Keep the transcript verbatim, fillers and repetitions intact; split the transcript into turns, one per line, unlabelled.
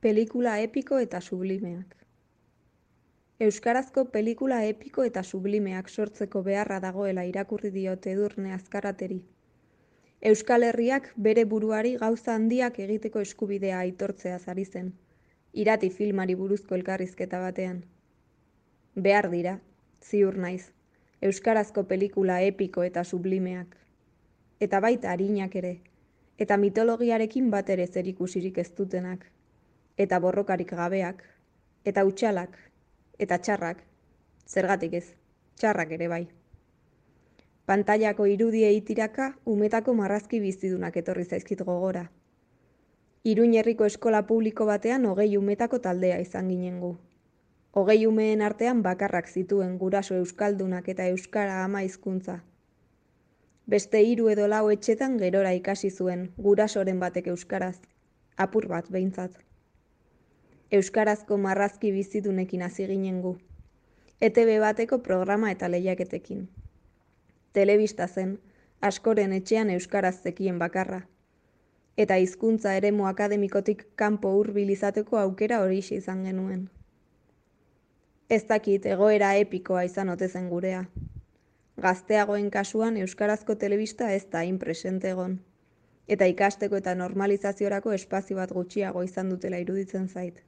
Pelikula epiko eta sublimeak. Euskarazko pelikula epiko eta sublimeak sortzeko beharra dagoela irakurri diote Edurne Azkarateri. Euskal Herriak bere buruari gauza handiak egiteko eskubidea aitortzeaz ari zen, irati filmari buruzko elkarrizketa batean. Behar dira, ziur naiz, euskarazko pelikula epiko eta sublimeak. Eta baita arinak ere, eta mitologiarekin bat ere zerikusirik ez dutenak, eta borrokarik gabeak, eta hutsalak, eta txarrak, zergatik ez, txarrak ere bai. Pantailako irudiei tiraka umetako marrazki bizidunak etorri zaizkit gogora. Iruin herriko eskola publiko batean hogei umetako taldea izan ginen gu. Hogei umeen artean bakarrak zituen guraso euskaldunak eta euskara ama hizkuntza. Beste hiru edo lau etxetan gerora ikasi zuen gurasoren batek euskaraz, apur bat behintzat. Euskarazko marrazki bizidunekin hasi ginen gu. E Te Be bateko programa eta lehiaketekin. Telebista zen, askoren etxean euskaraz zekien bakarra. Eta hizkuntza eremu akademikotik kanpo hurbil izateko aukera horixe izan genuen. Ez dakit egoera epikoa izan ote zen gurea. Gazteagoen kasuan euskarazko telebista ez da hain presente egon. Eta ikasteko eta normalizaziorako espazio bat gutxiago izan dutela iruditzen zait.